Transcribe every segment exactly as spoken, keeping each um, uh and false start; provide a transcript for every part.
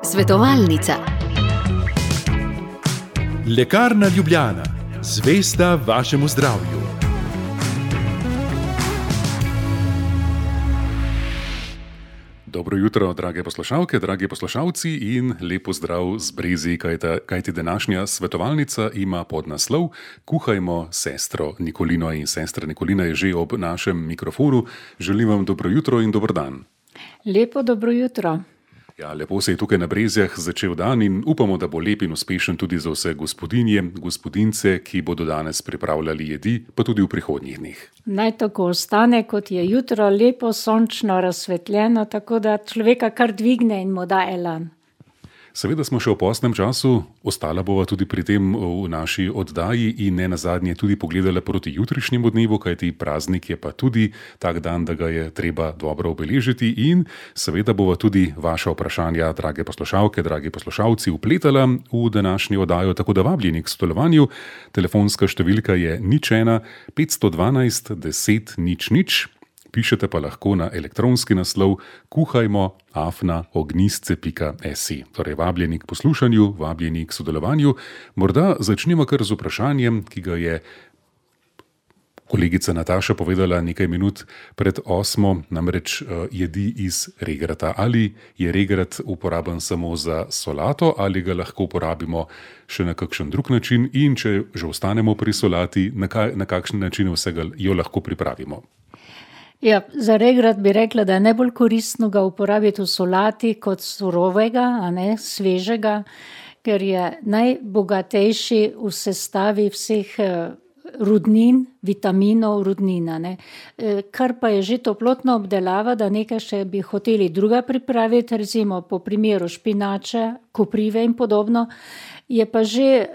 Svetovalnica. Lekarna Ljubljana, zvesta vašemu zdravju. Dobro jutro, drage poslušalke, dragi poslušalci in lepo zdrav z Brezi, kajti današnja svetovalnica ima podnaslov Kuhajmo sestro Nikolino in sestra Nikolina je že ob našem mikrofonu. Želim vam dobro jutro in dober dan. Lepo dobro jutro. Ja, lepo se je tukaj na Brezjah začel dan in upamo, da bo lep in uspešen tudi za vse gospodinje, gospodince, ki bodo danes pripravljali jedi, pa tudi v prihodnjih dneh. Naj tako ostane, kot je jutro, lepo, sončno, razsvetljeno, tako da človeka kar dvigne in mu da elan. Seveda smo še v postnem času, ostala bova tudi pri tem v naši oddaji in ne nazadnje tudi pogledala proti jutrišnjemu dnevu, kajti praznik je pa tudi tak dan, da ga je treba dobro obeležiti in seveda bova tudi vaša vprašanja, drage poslušalke, dragi poslušalci, vpletala v današnjo oddajo, tako da vabljeni k sodelovanju. Telefonska številka je nič ena petsto dvanajst deset nič nič. Pišete pa lahko na elektronski naslov kuhajmo afna ognjisce pika si. Torej, vabljeni k poslušanju, vabljeni k sodelovanju. Morda začnemo kar z vprašanjem, ki ga je kolegica Nataša povedala nekaj minut pred osmo, namreč jedi iz regrata. Ali je regrat uporaben samo za solato ali ga lahko uporabimo še na kakšen drug način in če že ostanemo pri solati, na, kaj, na kakšen način vsega jo lahko pripravimo? Ja, za regrat bi rekla, da je najbolj koristno ga uporabiti v solati kot surovega, a ne svežega, ker je najbogatejši v sestavi vseh rudnin, vitaminov, rudnina. Ne. Kar pa je že toplotna obdelava, da nekaj še bi hoteli druga pripraviti, recimo po primeru špinače, koprive in podobno, je pa že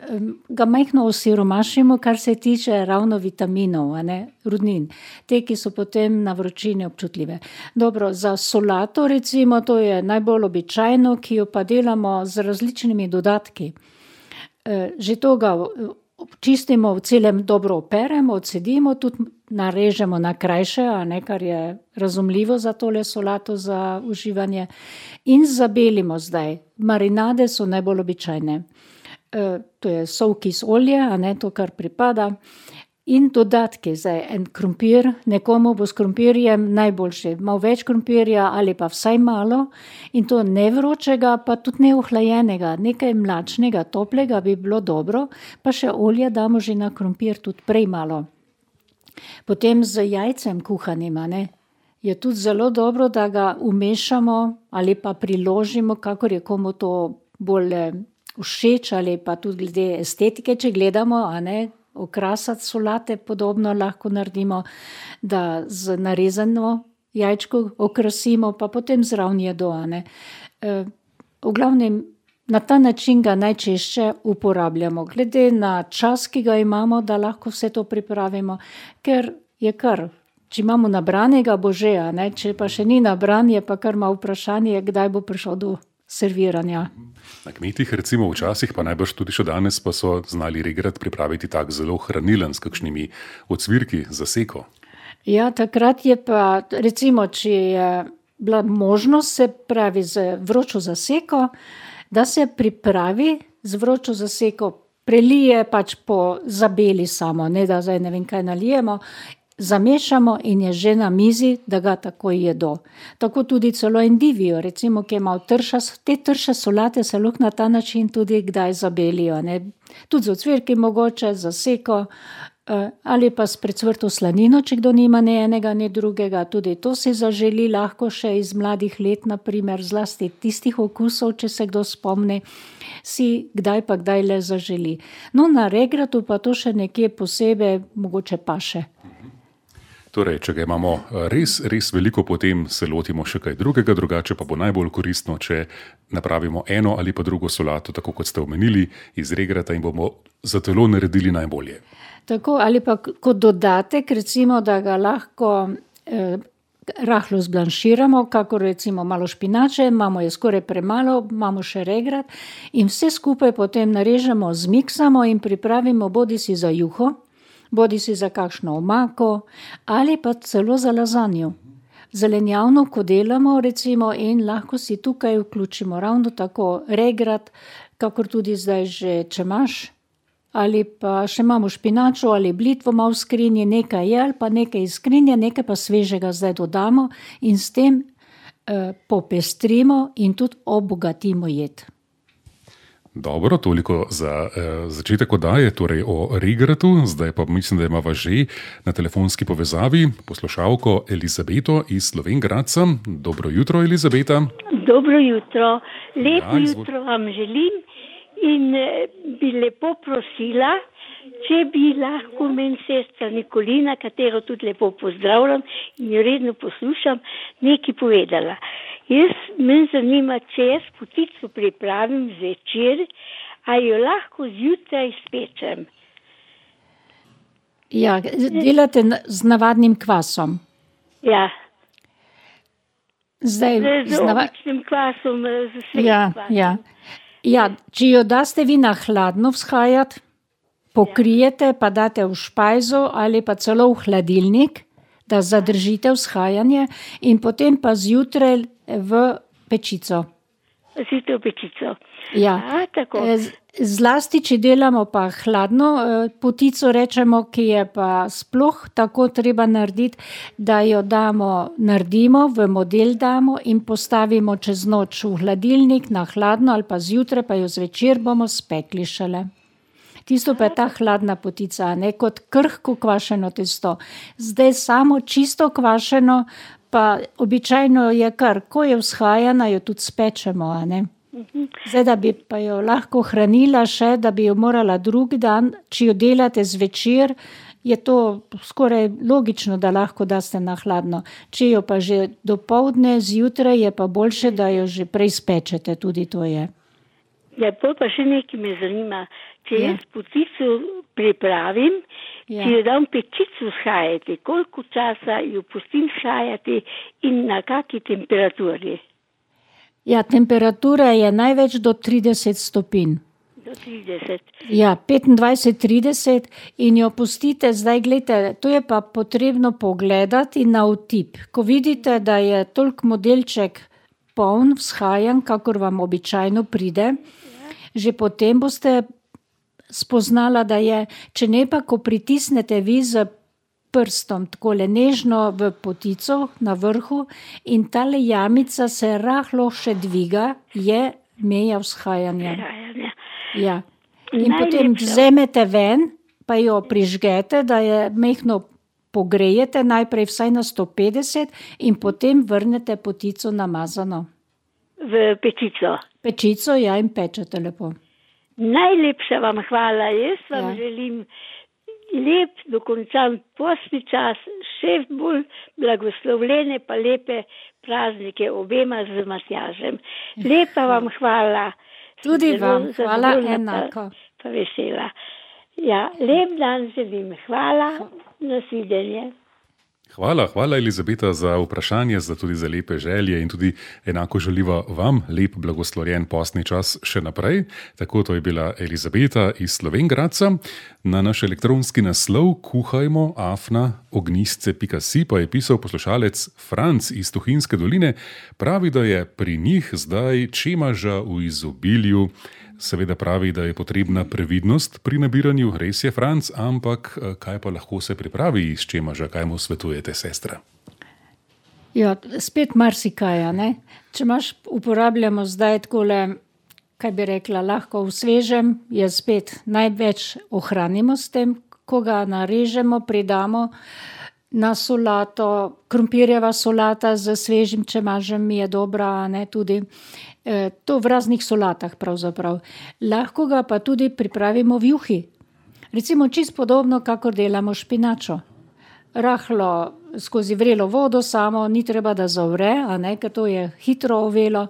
ga majhno osiromašimo, kar se tiče ravno vitaminov, a ne, rudnin. Te, ki so potem na vročini občutljive. Dobro, za solato recimo, to je najbolj običajno, ki jo pa delamo z različnimi dodatki. Že to ga čistimo, v celem dobro operemo, odcedimo, tudi narežemo na krajše, a ne, kar je razumljivo za tole solato za uživanje. In zabelimo zdaj. Marinade so najbolj običajne. To je sol, kis, olje, a ne, to, kar pripada. In dodatki, zdaj en krompir, nekomu bo s krompirjem najboljše, malo več krompirja ali pa vsaj malo, in to ne vročega, pa tudi ne ohlajenega, nekaj mlačnega, toplega bi bilo dobro, pa še olje damo že na krompir, tudi prej malo. Potem z jajcem kuhanim, a ne, je tudi zelo dobro, da ga umešamo ali pa priložimo, kakor je komu to bolj všeč ali pa tudi glede estetike, če gledamo, a ne, okrasati solate podobno lahko naredimo, da z narezano jajčko okrasimo, pa potem zraven jedo, a ne. V glavnem, na ta način ga najčešče uporabljamo, glede na čas, ki ga imamo, da lahko vse to pripravimo, ker je kar, če imamo nabranega, bo že, a ne, če pa še ni nabran, je pa kar malo vprašanje, kdaj bo prišel do serviranja. Na kmetih recimo včasih, pa najbrž tudi še danes, pa so znali regrat pripraviti tak zelo hranilen s kakšnimi ocvirki za seko. Ja, takrat je pa, recimo, če je bila možnost, se pravi z vročo zaseko, da se pripravi z vročo zaseko, prelije pač po zabeli samo, ne da zdaj ne vem kaj nalijemo, zamešamo in je že na mizi, da ga takoj jedo. Tako tudi celo endivijo, recimo, ki je malo trša, te trše solate se lahko na ta način tudi kdaj zabelijo, ne. Tudi z ocvirki mogoče, za seko, ali pa s precvrto slanino, če kdo nima ne enega, ne drugega, tudi to si zaželi lahko še iz mladih let, na primer, zlasti tistih okusov, če se kdo spomni, si kdaj pa kdaj le zaželi. No, na regratu pa to še nekje posebej mogoče paše. Torej, če ga imamo res, res veliko, potem se lotimo še kaj drugega, drugače pa bo najbolj koristno, če napravimo eno ali pa drugo solato, tako kot ste omenili, iz regrata in bomo za telo naredili najbolje. Tako, ali pa kot dodatek, recimo, da ga lahko eh, rahlo zblanširamo, kako recimo malo špinače, imamo je skoraj premalo, imamo še regrat in vse skupaj potem narežemo, zmiksamo in pripravimo bodisi za juho, bodisi za kakšno omako ali pa celo za lazanjo. zelenjavno, ko delamo, recimo, in lahko si tukaj vključimo ravno tako regrat, kakor tudi zdaj že čemaž, ali pa še imamo špinačo ali blitvo malo v skrinji, nekaj je, ali pa nekaj iz skrinje, nekaj pa svežega zdaj dodamo in s tem eh, popestrimo in tudi obogatimo jed. Dobro, toliko za eh, začetek oddaje, torej o regratu. Zdaj pa mislim, da imamo že na telefonski povezavi poslušalko Elizabeto iz Slovenj Gradca. Dobro jutro, Elizabeta. Dobro jutro, lepo Ja, izvol- jutro vam želim in eh, bi lepo prosila, če bi lahko meni sestra Nikolina, katero tudi lepo pozdravljam in jo redno poslušam, nekaj povedala. Jaz me zanima, če jaz potico pripravim zvečer, a jo lahko zjutraj spečem. Ja, delate na- z navadnim kvasom. Ja, Zdaj, z, z z nava- običnim kvasom, eh, z svežim ja, kvasom. ja. Ja, če jo daste vi na hladno vzhajati, pokrijete, pa date v špajzo ali pa celo v hladilnik, da zadržite vzhajanje in potem pa zjutraj v pečico. Zjutraj v pečico. Ja. A, tako. E, z- Zlasti, če delamo pa hladno e, potico, rečemo, ki je pa sploh tako treba narediti, da jo damo, naredimo, v model damo in postavimo čez noč v hladilnik na hladno ali pa zjutraj, pa jo zvečer bomo spekli šele. Tisto pa je ta hladna potica, a ne kot krhko kvašeno testo. Zdaj samo čisto kvašeno, pa običajno je kar, ko je vzhajana, jo tudi spečemo, a ne. Zdaj, da bi pa jo lahko hranila še, da bi jo morala drug dan, če jo delate zvečer, je to skoraj logično, da lahko daste na hladno. Če jo pa že dopoldne, zjutraj, je pa boljše, da jo že prej spečete, tudi to je. Ja, pol pa še nekaj me zanima. Če Ja. jaz potico pripravim, Ja. če jo dam pečico vzhajati, koliko časa jo pustim vzhajati in na kaki temperaturi? Ja, temperatura je največ do trideset stopinj. Do trideset. Ja, petindvajset trideset in jo pustite, zdaj gledajte, to je pa potrebno pogledati na vtip. Ko vidite, da je toliko modelček poln, vzhajan, kakor vam običajno pride, že potem boste spoznala, da je, če ne pa, ko pritisnete vi z prstom takole nežno v potico na vrhu in tale jamica se rahlo še dviga, je meja vzhajanja. Vzhajanja. Ja. In Najlepša. potem vzemete ven, pa jo prižgete, da je mehko pogrejete, najprej vsaj na sto petdeset in potem vrnete potico namazano. V pečico. Pečico, ja, in pečete lepo. Najlepša vam hvala. Jaz vam Ja. želim lep, dokončan postni čas, še bolj blagoslovljene pa lepe praznike obema z Matjažem. Lepa vam hvala. Tudi Zelo vam, hvala zadovoljna enako. Pa, pa vesela. Ja, lep dan želim. Hvala. Nasvidenje. Hvala, hvala Elizabeta za vprašanje, za tudi za lepe želje in tudi enako želiva vam lep blagoslovljen postni čas še naprej. Tako to je bila Elizabeta iz Slovenj Gradca. Na naš elektronski naslov kuhajmo afna ognjisce pika si pa je pisal poslušalec Franc iz Tuhinjske doline. Pravi, da je pri njih zdaj čemaža v izobilju. Seveda pravi, da je potrebna previdnost pri nabiranju, res je Franc, ampak kaj pa lahko se pripravi iz čemaža, kaj mu svetujete, sestra? Ja, spet marsikaj, a ne. Če imaš, uporabljamo zdaj takole, kaj bi rekla, lahko v svežem, je spet največ ohranimo s tem, ko ga narežemo, pridamo na solato, krompirjeva solata z svežim čemažem je dobra, a ne, tudi. E, to v raznih solatah pravzaprav. Lahko ga pa tudi pripravimo v juhi. Recimo čisto podobno, kakor delamo špinačo. Rahlo skozi vrelo vodo samo, ni treba, da zavre, a ne, ker to je hitro ovelo.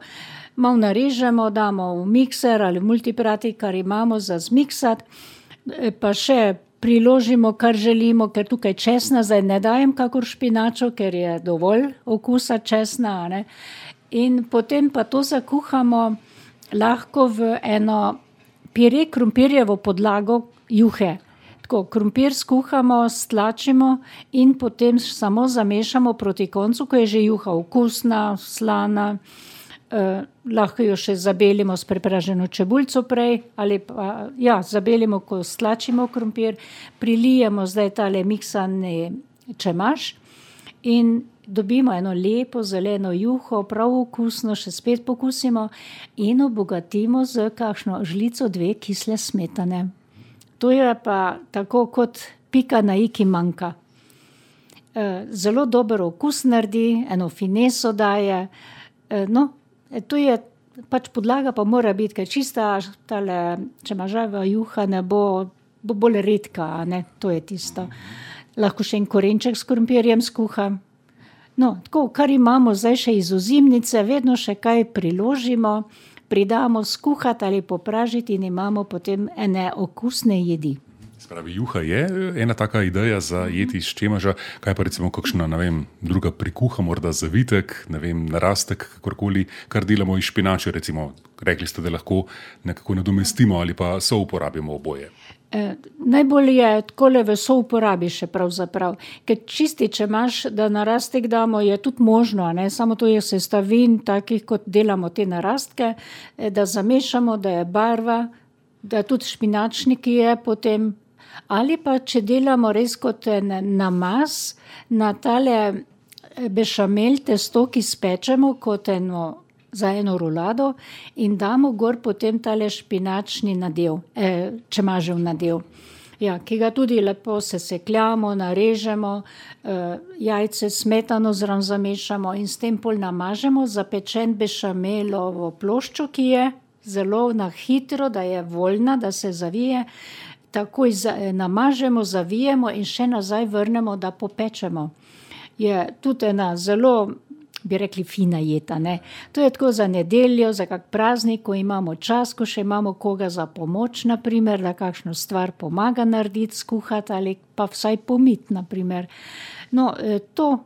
Malo narežemo, damo v mikser ali v multiprati, kar imamo za zmiksat, pa še priložimo, kar želimo, ker tukaj česna zdaj ne dajem kakor špinačo, ker je dovolj okusa česna, a ne. In potem pa to zakuhamo lahko v eno pire krompirjevo podlago juhe. Tako, krompir skuhamo, stlačimo in potem samo zamešamo proti koncu, ko je že juha okusna, slana. Eh, lahko jo še zabelimo s prepraženo čebulico prej, ali pa ja, zabelimo, ko stlačimo krompir, prilijemo zdaj tale miksani čemaž in dobimo eno lepo zeleno juho, prav okusno, še spet pokusimo in obogatimo z kakšno žlico dve kisle smetane. To je pa tako kot pika na i, ki manjka. Eh, zelo dober okus naredi, eno fineso daje, eh, no, to je pač podlaga, pa mora biti, ker čista tale čemaževa juha ne bo, bo bolj redka, a ne, to je tisto. Lahko še en korenček s krompirjem skuha. No, tako, kar imamo zdaj še iz ozimnice, vedno še kaj priložimo, pridamo skuhati ali popražiti in imamo potem ene okusne jedi. Spravi, juha je ena taka ideja za jeti iz čemaža, kaj pa recimo kakšna, ne vem, druga prikuha, morda zavitek, ne vem, narastek, kakorkoli, kar delamo iz špinače, recimo, rekli ste, da lahko nekako nadomestimo ali pa so uporabimo oboje. Eh, najbolj je takole v souporabi še pravzaprav, ker čisti čemaž, da narastek damo, je tudi možno, ne? Samo to je sestavin takih, kot delamo te narastke, eh, da zamešamo, da je barva, da tudi špinačnik je potem, ali pa če delamo res kot namaz na tale bešamel testo, ki spečemo kot eno, za eno rulado in damo gor potem tale špinačni nadev, eh, čemažev nadev. Ja, ki ga tudi lepo sesekljamo, narežemo, eh, jajce smetano zraven zamešamo in s tem pol namažemo zapečen bešamelovo ploščo, ki je zelo na hitro, da je voljna, da se zavije. Takoj namažemo, zavijemo in še nazaj vrnemo, da popečemo. Je tudi ena zelo, bi rekli, fina jeta, ne. To je tako za nedeljo, za kak praznik, ko imamo čas, ko še imamo koga za pomoč, na primer, da kakšno stvar pomaga narediti, skuhati ali pa vsaj pomiti, na primer. No, to,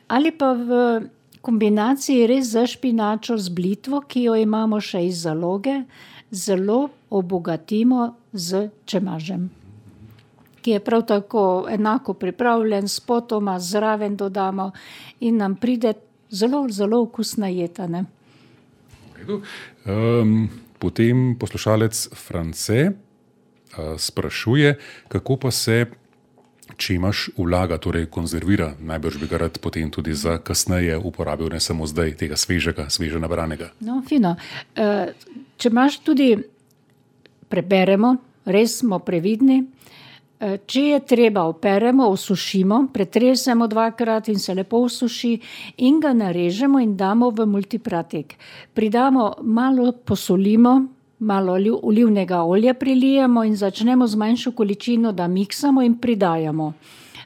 ali pa v kombinaciji res za špinačo z blitvo, ki jo imamo še iz zaloge, zelo obogatimo z čemažem, ki je prav tako enako pripravljen, spotoma zraven dodamo in nam pride zelo, zelo okusna jeta, ne. Um, potem poslušalec France uh, sprašuje, kako pa se čemaž vlaga, torej konzervira, najbrž bi ga rad potem tudi za kasneje uporabil, ne samo zdaj tega svežega, sveže nabranega. No, fino. Uh, čemaž tudi preberemo, res smo previdni. Če je treba, operemo, osušimo, pretresemo dvakrat in se lepo osuši in ga narežemo in damo v multipratik. Pridamo, malo posolimo, malo olivnega olja prilijemo in začnemo z manjšo količino, da miksamo in pridajamo.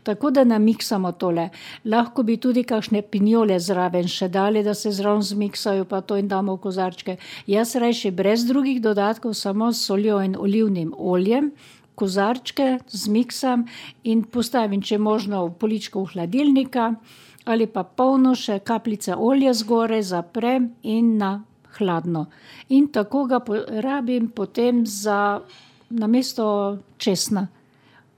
Tako da namiksamo tole. Lahko bi tudi kakšne pinjole zraven še dali, da se zraven zmiksajo, pa to in damo v kozarčke. Jaz rajši brez drugih dodatkov, samo s soljo in olivnim oljem, kozarčke zmiksam in postavim, če možno, v poličko v hladilnika ali pa polno še kapljice olja zgoraj, zaprem in na hladno. In tako ga rabim potem za namesto česna.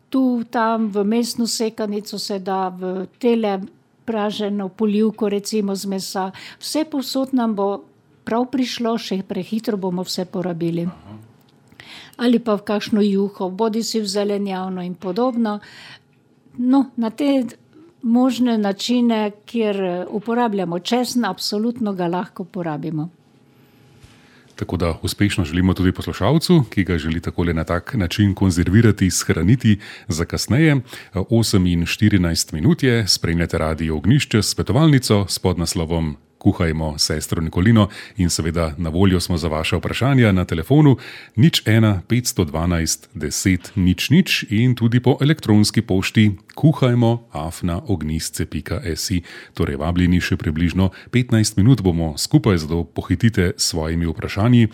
Tu, tam v mesno sekanico se da, v tele praženo polivko recimo z mesa. Vse povsod nam bo prav prišlo, še prehitro bomo vse porabili. Ali pa v kakšno juho, bodi si v zelenjavno in podobno. No, na te možne načine, kjer uporabljamo česen, absolutno ga lahko porabimo. Tako da uspešno želimo tudi poslušalcu, ki ga želi takole na tak način konzervirati, shraniti za kasneje. osem in štirinajst minut je, spremljate Radio Ognjišče s svetovalnico s podnaslovom Kuhajmo sestro Nikolino in seveda na voljo smo za vaše vprašanja na telefonu nič ena petsto dvanajst deset nič nič in tudi po elektronski pošti kuhajmo afna ognjisce pika si. Torej vabljeni še približno petnajst minut bomo skupaj, zato pohitite s svojimi vprašanji.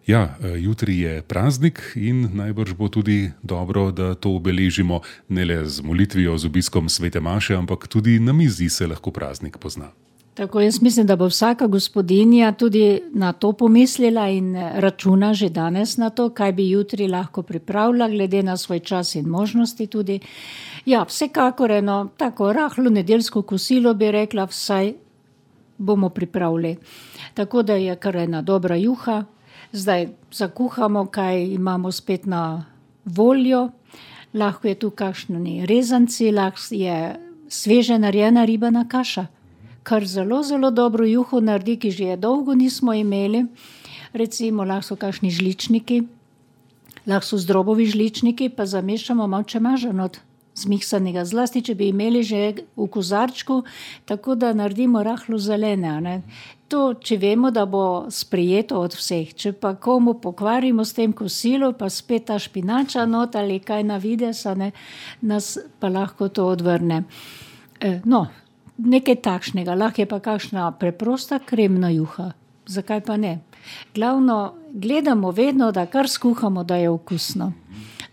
Ja, jutri je praznik in najbrž bo tudi dobro, da to obeležimo ne le z molitvijo, z obiskom svete maše, ampak tudi na mizi se lahko praznik pozna. Tako jaz mislim, da bo vsaka gospodinja tudi na to pomislila in računa že danes na to, kaj bi jutri lahko pripravila, glede na svoj čas in možnosti tudi. Ja, vsekakor eno tako rahlo nedeljsko kosilo bi rekla, vsaj bomo pripravili. Tako da je kar ena dobra juha. Zdaj zakuhamo, kaj imamo spet na voljo. Lahko je tu kakšni rezanci, lahko je sveže narejena ribana kaša, kar zelo, zelo dobro juho naredi, ki že je dolgo nismo imeli. Recimo, lahko so kakšni žličniki, lahko so zdrobovi žličniki, pa zamešamo malo čemažanot zmiksanega, zlasti, če bi imeli že v kozarčku, tako da naredimo rahlo zelene. Ne? To, če vemo, da bo sprijeto od vseh. Če pa komu pokvarimo s tem kosilo, pa spet ta špinača not ali kaj na vides, ne, nas pa lahko to odvrne. E, no, nekaj takšnega, lahko je pa kakšna preprosta kremna juha. Zakaj pa ne? Glavno, gledamo vedno, da kar skuhamo, da je okusno.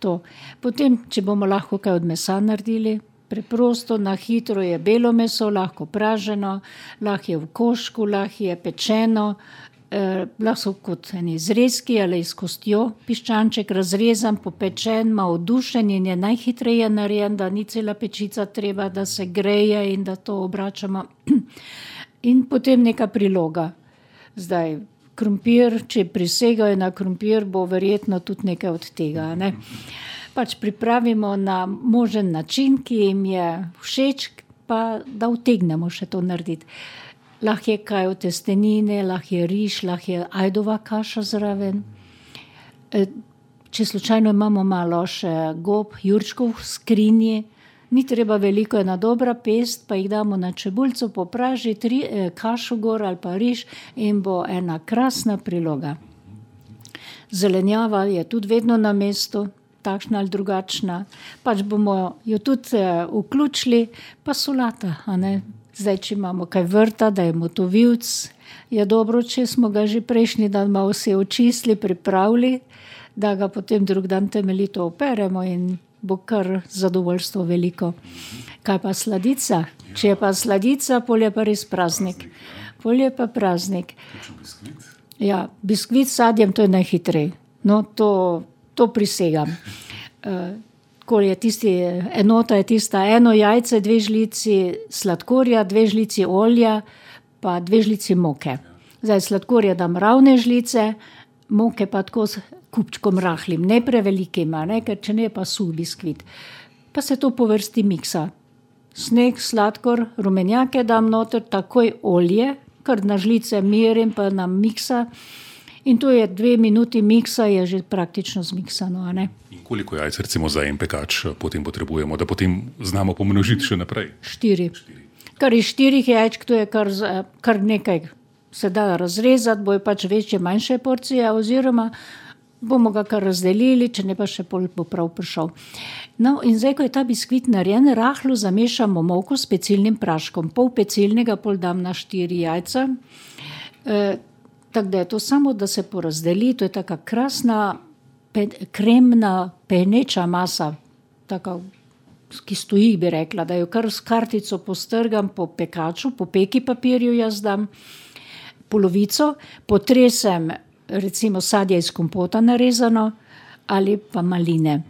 To. Potem, če bomo lahko kaj od mesa naredili, preprosto, na hitro je belo meso, lahko praženo, lahko je v košku, lahko je pečeno, eh, lahko so kot eni zrezki ali s kostjo piščanček razrezan, popečen, malo dušen in je najhitreje narejen, da ni cela pečica treba, da se greje in da to obračamo. In potem neka priloga. Zdaj, krompir, če prisegajo na krompir, bo verjetno tudi nekaj od tega, ne? Pač pripravimo na možen način, ki jim je všeč, pa da utegnemo še to narediti. Lahko je kaj od testenine, lahko je riž, lahko je ajdova kaša zraven. Če slučajno imamo malo še gob, jurčkov v skrinji, ni treba veliko, ena dobra pest, pa jih damo na čebulico popražiti, ri, kašo gor ali pa riž in bo ena krasna priloga. Zelenjava je tudi vedno na mestu, takšna ali drugačna. Pač bomo jo tudi uh, vključili, pa solata, a ne? Zdaj, če imamo kaj vrta, da je motovilc, je dobro, če smo ga že prejšnji dan malo vse očistili, pripravili, da ga potem drug dan temeljito operemo in bo kar zadovoljstvo veliko. Kaj pa sladica? Če je pa sladica, pol je pa res praznik. Pol je pa praznik. Ja, biskvit s sadjem, to je najhitrej. No, to, to prisegam. Ko je tisti, enota je tista eno jajce, dve žlici sladkorja, dve žlici olja, pa dve žlici moke. Zdaj sladkorja dam ravne žlice, moke pa tako s kupčkom rahlim, ne prevelikim, ne, ker če ne pa suh biskvit. Pa se to po vrsti miksa. Sneg, sladkor, rumenjake dam noter, takoj olje, kar na žlice merim, pa nam miksa. In to je dve minuti miksa, je že praktično zmiksano, a ne. In koliko jajc recimo za en pekač potem potrebujemo, da potem znamo pomnožiti še naprej? Štiri. Kar iz štirih jajčk, to je kar, kar nekaj se da razrezati, bojo pač večje, manjše porcije, oziroma bomo ga kar razdelili, če ne pa še pol bo prav prišel. No, in zdaj, ko je ta biskvit narejen, rahlo zamešamo moko s pecilnim praškom. Pol pecilnega, pol dam na štiri jajca. E, tako da je to samo, da se porazdeli, to je taka krasna, pe, kremna, peneča masa, taka, ki stoji, bi rekla, da jo kar s kartico postrgam po pekaču, po peki papirju jaz dam polovico, potresem recimo sadje iz kompota narezano ali pa maline.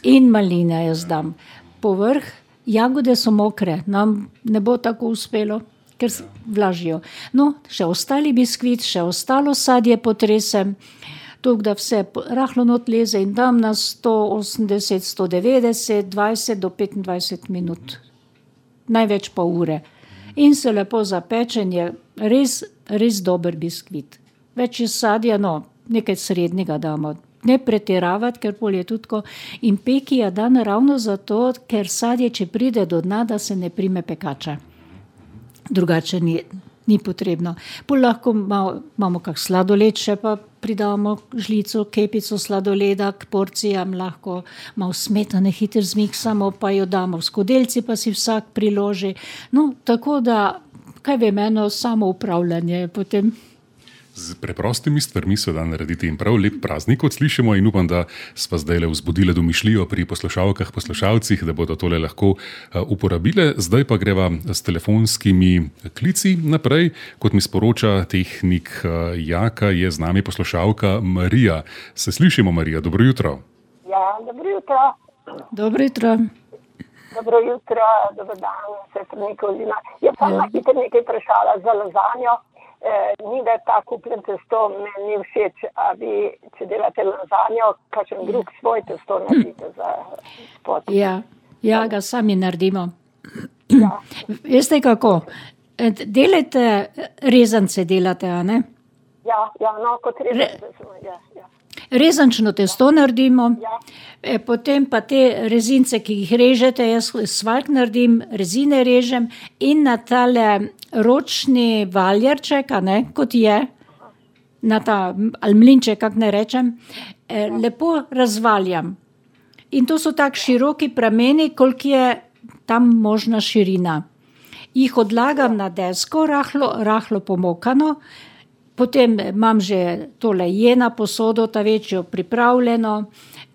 In maline jaz dam. Povrh, jagode so mokre, nam ne bo tako uspelo, ker vlažijo. No, še ostali biskvit, še ostalo sadje potresem, toliko, da vse rahlo not leze in dam na sto osemdeset, sto devetdeset, dvajset do petindvajset minut. Največ pa ure. In se lepo zapečen, je res, res dober biskvit. Več je sadja, no, nekaj srednjega damo. Ne pretiravati, ker pol je tudi tako. In peki je dan ravno zato, ker sadje, če pride do dna, da se ne prime pekača. Drugače ni, ni potrebno. Pol lahko malo, imamo kak sladoled, še pa pridamo žlico, kepico sladoleda k porcijam, lahko malo smetane hitro zmiksamo, pa jo damo v skodelci, pa si vsak priloži. No, tako da, kaj vem, eno samo upravljanje potem. Z preprostimi stvarmi se da narediti in prav lep praznik, kot slišimo, in upam, da sva zdaj le vzbudila domišljijo pri poslušalkah, poslušalcih, da bodo tole lahko uporabile. Zdaj pa greva s telefonskimi klici naprej. Kot mi sporoča tehnik Jaka, je z nami poslušalka Marija. Se slišimo, Marija? Dobro jutro. Ja, dobro jutro. Dobro jutro. Dobro jutro, dobro dan, sestra Nikolina. Jaz sem na hitro nekaj vprašala za lazanjo. E, ni da ta kupljen testo, meni ni všeč, a vi, če delate lazanjo, kakšen drug svoj testo naredite za spod. Ja, ja, ga sami naredimo. Ja. Veste kako? Delate, rezance delate, a ne? Ja, ja, no, kot rezance smo, ja, ja. Rezančno testo naredimo, Ja. e, potem pa te rezince, ki jih režete, jaz svaljk naredim, rezine režem in na tale ročni valjarček, a ne, kot je, na ta, ali mlinček, kak ne rečem, e, lepo razvaljam. In to so tak široki prameni, koliko je tam možna širina. Jih odlagam na desko, rahlo, rahlo pomokano, potem imam že tole jena posodo, ta večjo pripravljeno,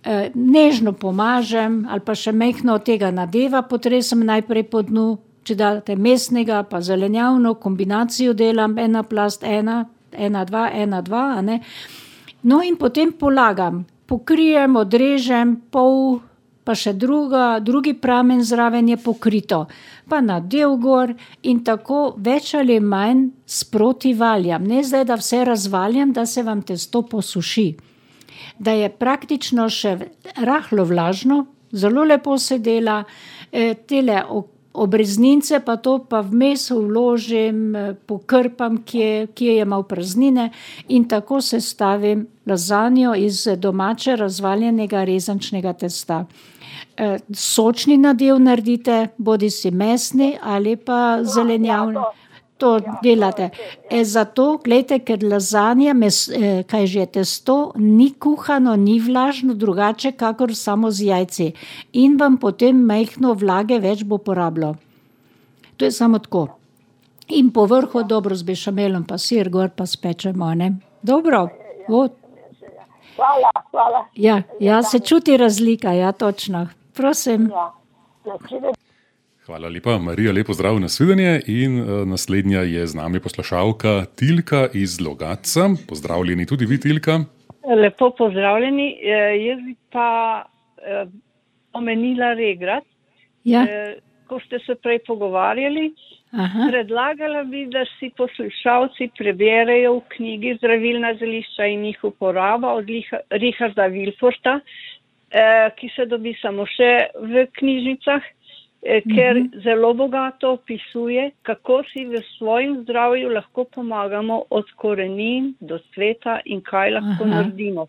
e, nežno pomažem ali pa še mehno od tega nadeva, potresem najprej po dnu, če date mesnega, pa zelenjavno, kombinacijo delam, ena plast, ena, ena, dva, ena, dva, a ne. No in potem polagam, pokrijem, odrežem, pol, pa še druga, drugi pramen zraven je pokrito, pa nadev gor in tako več ali manj sproti valjam. Ne zdaj, da vse razvaljam, da se vam testo posuši. Da je praktično še rahlo vlažno, zelo lepo se dela, e, tele obreznince pa to pa vmes vložim, pokrpam, kje, kje je malo praznine in tako sestavim lazanjo iz domače razvaljenega rezančnega testa. E, sočni nadev naredite, bodi si mesni ali pa zelenjavni. To delate. E, zato, gledajte, ker lazanja, mes, eh, kaj že je testo, ni kuhano, ni vlažno, drugače kakor samo z jajci. In vam potem majhno vlage več bo porabilo. To je samo tako. In po vrhu dobro z bešamelom, pa sir gor pa spečemo, ne? Dobro. Od. Hvala, hvala. Ja, ja, se čuti razlika, ja, točno. Prosim. Ja, nasvidenje. Hvala lepa, Marija, lepo zdrav, nasvidenje. In uh, naslednja je z nami poslušalka Tilka iz Logatca. Pozdravljeni tudi vi, Tilka. Lepo pozdravljeni. E, jaz bi pa e, omenila regrat. Ja. E, ko ste se prej pogovarjali, Aha. predlagala bi, da si poslušalci preberejo v knjigi Zdravilna zelišča in njih uporaba od Richarda Wilforta, e, ki se dobi samo še v knjižnicah, ker zelo bogato opisuje, kako si v svojem zdravju lahko pomagamo od korenin do cveta in kaj lahko Aha. naredimo.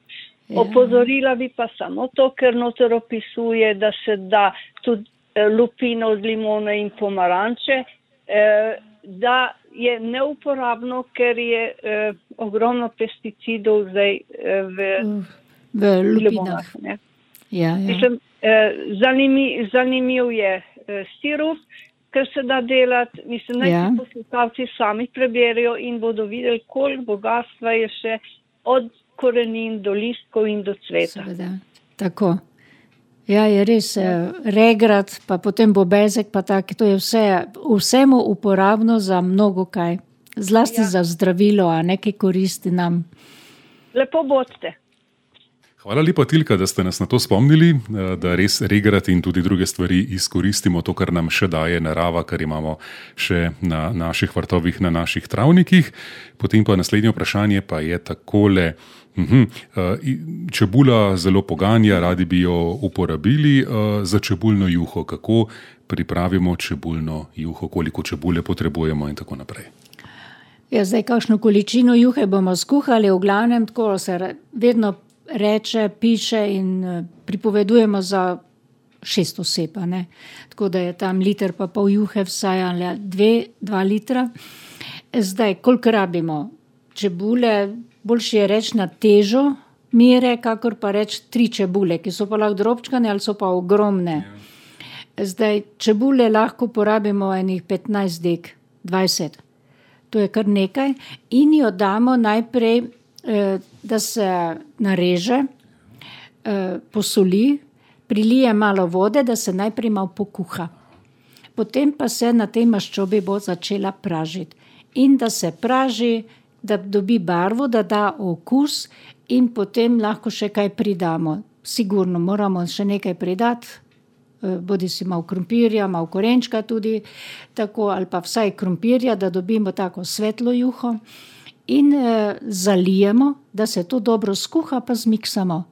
Ja. Opozorila bi pa samo to, ker noter opisuje, da se da tudi eh, lupino z limone in pomaranče, eh, da je neuporabno, ker je eh, ogromno pesticidov zdaj eh, v, V lupinah. limonah. Ne? Ja, ja. Mislim, eh, zanimiv, zanimiv je sirup, ker se da delati, mislim, naj Ja. si poslušalci sami preberijo in bodo videli, koliko bogatstva je še od korenin do listkov in do cveta. Seveda, tako. Ja, je res, eh, regrat, pa potem bobezek, pa tak, to je vse, vsemu uporabno za mnogo kaj. Zlasti Ja. za zdravilo, a nekaj koristi nam. Lepo bodite. Hvala lepa, Tilka, da ste nas na to spomnili, da res regrat in tudi druge stvari izkoristimo, to, kar nam še daje narava, kar imamo še na naših vrtovih, na naših travnikih. Potem pa naslednje vprašanje pa je takole. Uhum. Čebula zelo poganja, radi bi jo uporabili za čebulno juho. Kako pripravimo čebulno juho, koliko čebule potrebujemo in tako naprej? Ja, zdaj, kakšno količino juhe bomo skuhali, v glavnem tako se vedno reče, piše in pripovedujemo za šest oseb, ne? Tako da je tam liter pa pol juhe vsaj, ali dve, dva litra. Zdaj, koliko rabimo čebule, boljše je reči na težo mere, kakor pa reči tri čebule, ki so pa lahko drobčkane ali so pa ogromne. Zdaj, čebule lahko porabimo enih petnajst dek, dvajset. to je kar nekaj, in jo damo najprej, da se nareže, posoli, prilije malo vode, da se najprej malo pokuha. Potem pa se na tej maščobi bo začela pražiti. In da se praži, da dobi barvo, da da okus in potem lahko še kaj pridamo. Sigurno moramo še nekaj pridati, bodi si malo krompirja, malo korenčka tudi, tako, ali pa vsaj krompirja, da dobimo tako svetlo juho. In eh, zalijemo, da se to dobro skuha, pa zmiksamo.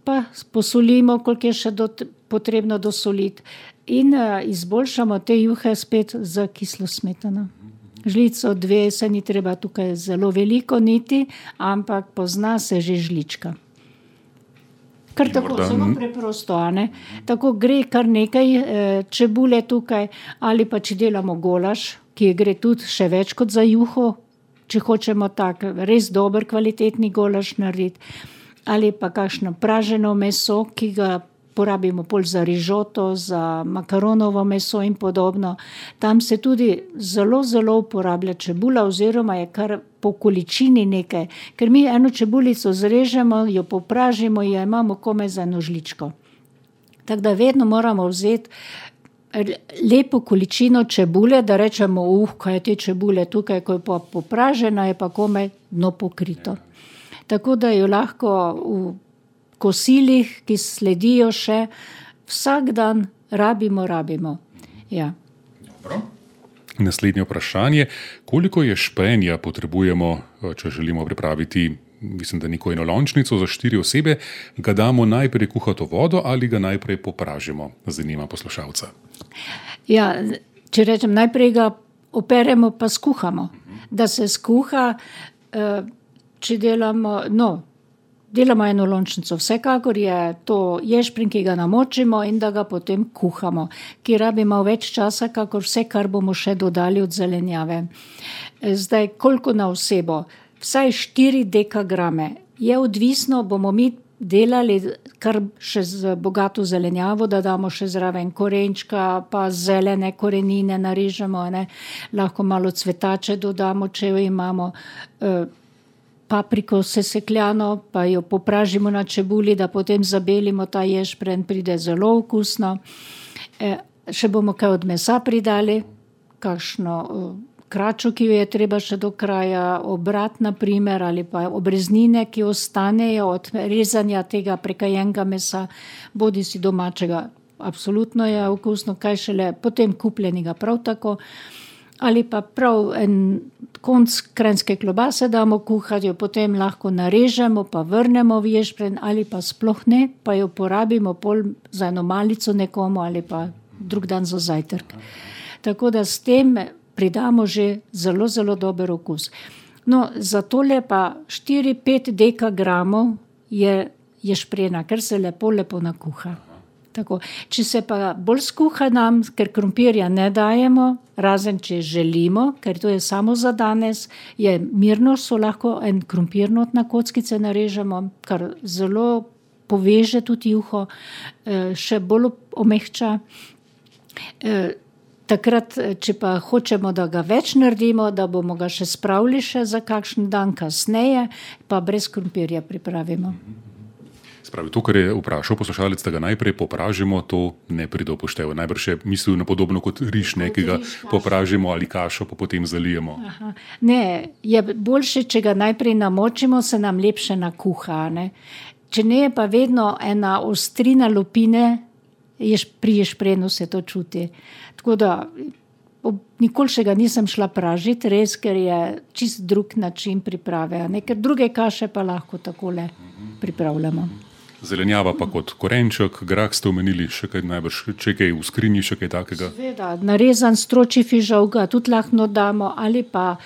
Pa posolimo, koliko je še do, potrebno dosoliti. In uh, izboljšamo te juhe spet z kislo smetano. Žlico, dve, se ni treba tukaj zelo veliko niti, ampak pozna se že žlička. Kar tako, zelo preprosto, a ne? Tako gre kar nekaj eh, čebule tukaj, ali pa če delamo golaž, ki gre tudi še več kot za juho, če hočemo tak res dober kvalitetni golaž narediti. Ali pa kakšno praženo meso, ki ga porabimo pol za rižoto, za makaronovo meso in podobno. Tam se tudi zelo, zelo uporablja čebula oziroma je kar po količini nekaj. Ker mi eno čebulico zrežemo, jo popražimo, jo imamo komaj za eno žličko. Tako da vedno moramo vzeti lepo količino čebule, da rečemo, uh, kaj je te čebule tukaj, ko je pa popražena, je pa komaj dno pokrito. Tako da jo lahko v kosilih, ki sledijo še, vsak dan rabimo, rabimo. Ja. Dobro. Naslednje vprašanje. Koliko je špenja potrebujemo, če želimo pripraviti, mislim, da neko enolončnico za štiri osebe, ga damo najprej kuhato vodo ali ga najprej popražimo? Zanima poslušalca. Ja, če rečem, najprej ga operemo pa skuhamo. Da se skuha, če delamo, no, delamo enolončnico. Vsekakor je to ješprenj, ki ga namočimo in da ga potem kuhamo, ki rabimo več časa, kakor vse, kar bomo še dodali od zelenjave. Zdaj, koliko na osebo? Vsaj štiri dekagrame. Je odvisno, bomo mi delali kar še z bogato zelenjavo, da damo še zraven korenčka, pa zelene korenine narežemo, ne? Lahko malo cvetače dodamo, če jo imamo, papriko sesekljano, pa jo popražimo na čebuli, da potem zabelimo ta ješprenj, pride zelo okusno. E, še bomo kaj od mesa pridali, kakšno kračo, ki jo je treba še do kraja, obrat na primer, ali pa obreznine, ki ostanejo od rezanja tega prekajenega mesa, bodi si domačega, absolutno je okusno, kaj šele potem kupljenega prav tako. Ali pa prav en konc kranjske klobase damo kuhati, jo potem lahko narežemo, pa vrnemo v ješprenj, ali pa sploh ne, pa jo porabimo pol za eno malico nekomu, ali pa drug dan za zajtrk. Tako da s tem pridamo že zelo, zelo dober okus. No, za tole pa štiri pet dekagramov je ješprena, ker se lepo, lepo nakuha. Tako. Če se pa bolj skuha nam, ker krompirja ne dajemo, razen če želimo, ker to je samo za danes, je mirno, so lahko en krompirnot na kockice narežemo, kar zelo poveže tudi juho, še bolj omehča. Takrat, če pa hočemo, da ga več naredimo, da bomo ga še spravili še za kakšen dan kasneje, pa brez krompirja pripravimo. Spravi, to, kar je vprašal poslušalec, da ga najprej popražimo, to ne pride v poštev. Najbrž je mislil na podobno kot riž, nekega popražimo ali kašo, pa potem zalijemo. Aha. Ne, je boljše, če ga najprej namočimo, se nam lepše nakuha. Ne? Če ne, je pa vedno ena ostrina lupine, ješ, pri ješprenu se to čuti. Tako da nikoli še ga nisem šla pražiti, res, ker je čist drug način priprave. Ne? Ker druge kaše pa lahko takole pripravljamo. Zelenjava pa kot korenček, grah ste omenili, še kaj najbrž, če kaj v skrinji, še kaj takega? Sveda, narezan stročji fižol ga tudi lahko damo, ali pa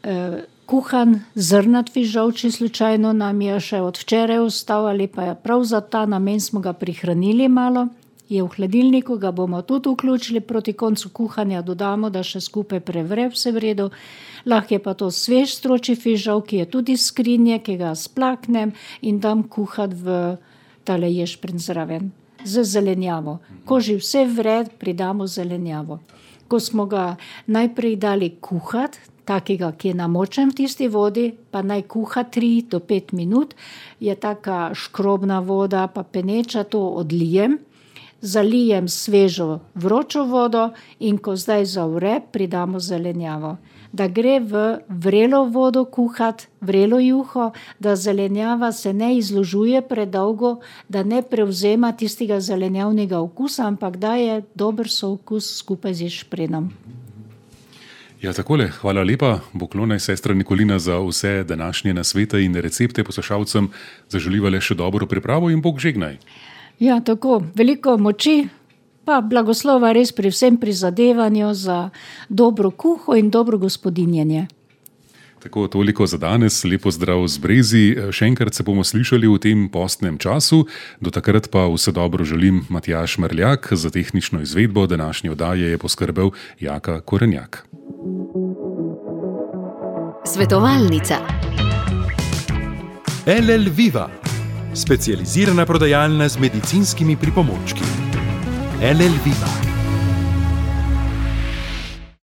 eh, kuhan zrnat fižol, če slučajno nam je še od včeraj ostal, ali pa je prav za ta namen smo ga prihranili malo, je v hladilniku, ga bomo tudi vključili, proti koncu kuhanja dodamo, da še skupaj prevre vse v redu. Lahko je pa to svež stročji fižol, ki je tudi iz skrinje, ki ga splaknem in dam kuhati v tale ješprenj zraven, z zelenjavo. Ko že vse vre, pridamo zelenjavo. Ko smo ga najprej dali kuhati, takega, ki je namočen v tisti vodi, pa naj kuha tri do pet minut, je taka škrobna voda, pa peneča, to odlijem, zalijem svežo vročo vodo in ko zdaj zavre, pridamo zelenjavo. Da gre v vrelo vodo kuhat, vrelo juho, da zelenjava se ne izložuje predolgo, da ne prevzema tistega zelenjavnega okusa, ampak da je dober sookus skupaj z ješprenjem. Ja, takole, hvala lepa, poklonaj sestra Nikolina za vse današnje nasvete in recepte poslušalcem, zaželiva le še dobro pripravo in Bog žegnaj. Ja, tako, veliko moči, pa blagoslova res pri vsem prizadevanju za dobro kuho in dobro gospodinjenje. Tako, toliko za danes, lepo zdrav z Brezi, še enkrat se bomo slišali v tem postnem času, do takrat pa vse dobro želim Matjaž Merljak, za tehnično izvedbo današnje oddaje je poskrbel Jaka Korenjak. Svetovalnica. L L Viva, specializirana prodajalna z medicinskimi pripomočki. L L Viva.